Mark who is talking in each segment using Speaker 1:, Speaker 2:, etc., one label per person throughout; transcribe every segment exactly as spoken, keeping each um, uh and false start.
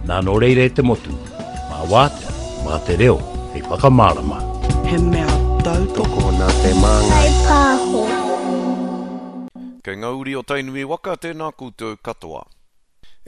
Speaker 1: Nā nō reira e te motu, mā wātea, mā te reo, hei whakamārama.
Speaker 2: He mea tautoko
Speaker 3: nā Te Māngai
Speaker 4: Pāho.
Speaker 5: Kei ngā uri o Tainui waka, tēnā koutou katoa.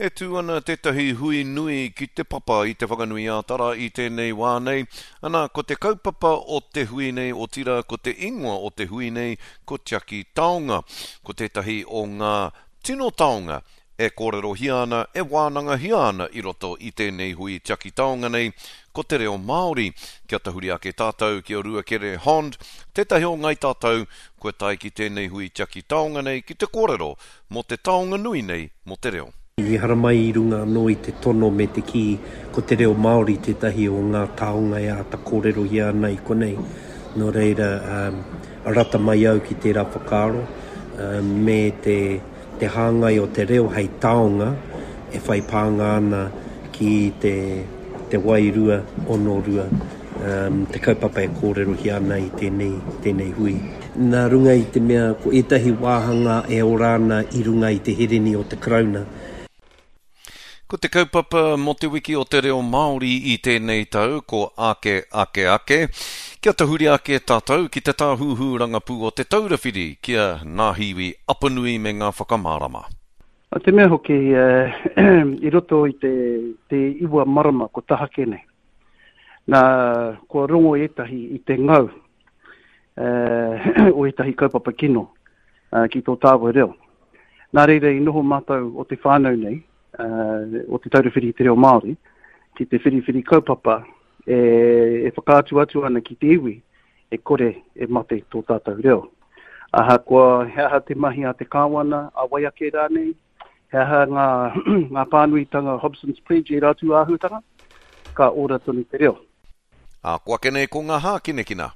Speaker 5: E tū ana tētahi hui nui ki te papa i Te Whanganui-ā-Tara i tēnei wā nei. Ana, ko te kaupapa o te hui nei, otirā ko te ingoa o te hui nei, ko Tiaki Taonga. Ko tētahi o ngā tino taonga e kōrerohia ana, e wānangahia ana i roto i tēnei hui tiaki taonga nei, ko te reo Māori. Kia tahuri ake tātou ki a Ruakere Hond, tētahi o ngai tātou, kua tae ki tēnei hui tiaki taonga nei ki te kōrero mō te taonga nui nei mō te reo.
Speaker 3: I haramai i runga anō i te tono me te kī ko te reo Māori tētahi o ngā taonga e āta kōrerohia ana i konei. Nō reira, um, rata mai au ki tērā whakaaro um, me te, te hāngai o te reo hei taonga e whai pānga ana ki te, te wairua onorua, um, te kaupapa e kōrerohia ana i tēnei, tēnei hui. Nā runga i te mea ko ētahi wāhanga e ora ana i runga i te hereni o te Karauna.
Speaker 5: Ko te kaupapa mō te wiki o te reo Māori i tēnei tau, ko Ake, Ake, Ake. Kia tahuri ake tātou ki te tāhuhu rangapū o Te Taura Whiri, ki a Ngāhiwi Apanui me ngā whakamārama.
Speaker 6: A te mea hoki, eh, i roto i te, te iwa marama ko tahake nei. Nā, kua rongo ētahi i te ngau eh, o ētahi kaupapa kino eh, ki tō tāua reo. Nā reira i noho mātou o te whānau nei, uh, o Te Taura Whiri i te Reo Māori, ki te whiriwhiri kaupapa e, e whakaatu atu ana ki te iwi e kore e mate tō tātou reo. Ahakoa he aha te mahi a te kāwana, a wai ake rānei, he aha ngā, ngā pānuitanga Hobson's Pledge e rātū āhuatanga, ka ora tonu te reo.
Speaker 5: Ā, ko ake nei ko ngā hākinakina.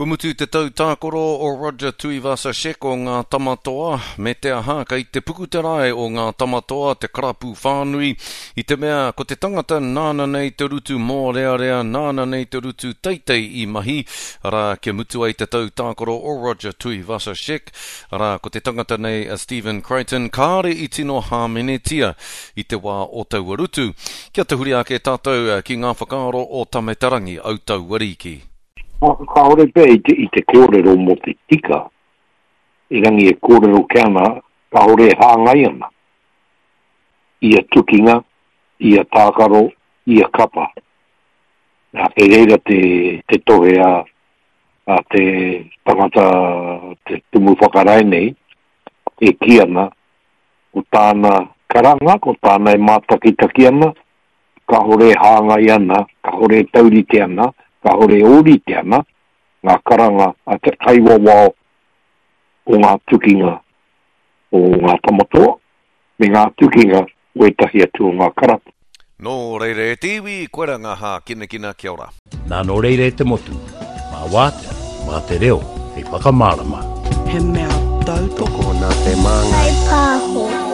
Speaker 5: Kua mutu te tau tākaro o Roger Tuivasa-Sheck o Ngā Tamatoa, me te aha kei te puku te rae o Ngā Tamatoa, te karapu whānui, i te mea ko te tangata nāna nei te rutu mōrearea, nāna nei te rutu teitei i mahi, arā, kia mutu ai te tau tākaro o Roger Tuivasa-Sheck, arā, ko te tangata nei a Stephen Crichton, kāre i tino hāmenetia i te wā o taua rutu. Kia tahuri ake tātou ki ngā whakaaro o Tame Te Rangi, Autauariki.
Speaker 7: Kāore pea i te, i te kōrero mō te tika, erangi e kōrero ke ana, kāore e hāngai ana. Ia tukinga, ia tākaro, ia kapa. Nā, kei reira te, te tohe a, a te tangata, te tumu whakarae nei, e kī ana, ko tāna karanga, ko tāna e mātakitaki ana, kāore e hāngai ana, kāore e taurite ana, kāore e ōrite ana ngā karanga a te kaiwawao o ngā tukinga o Ngā Tamatoa me ngā tukinga o ētahi atu o ngā karapu.
Speaker 5: Nō reira e te iwi, koira ngā hākinakina, kia ora.
Speaker 1: Nā nō reira e te motu, mā wātea, mā te reo, hei whakamārama.
Speaker 2: He mea tautoko
Speaker 3: nā Te Māngai
Speaker 4: Pāho.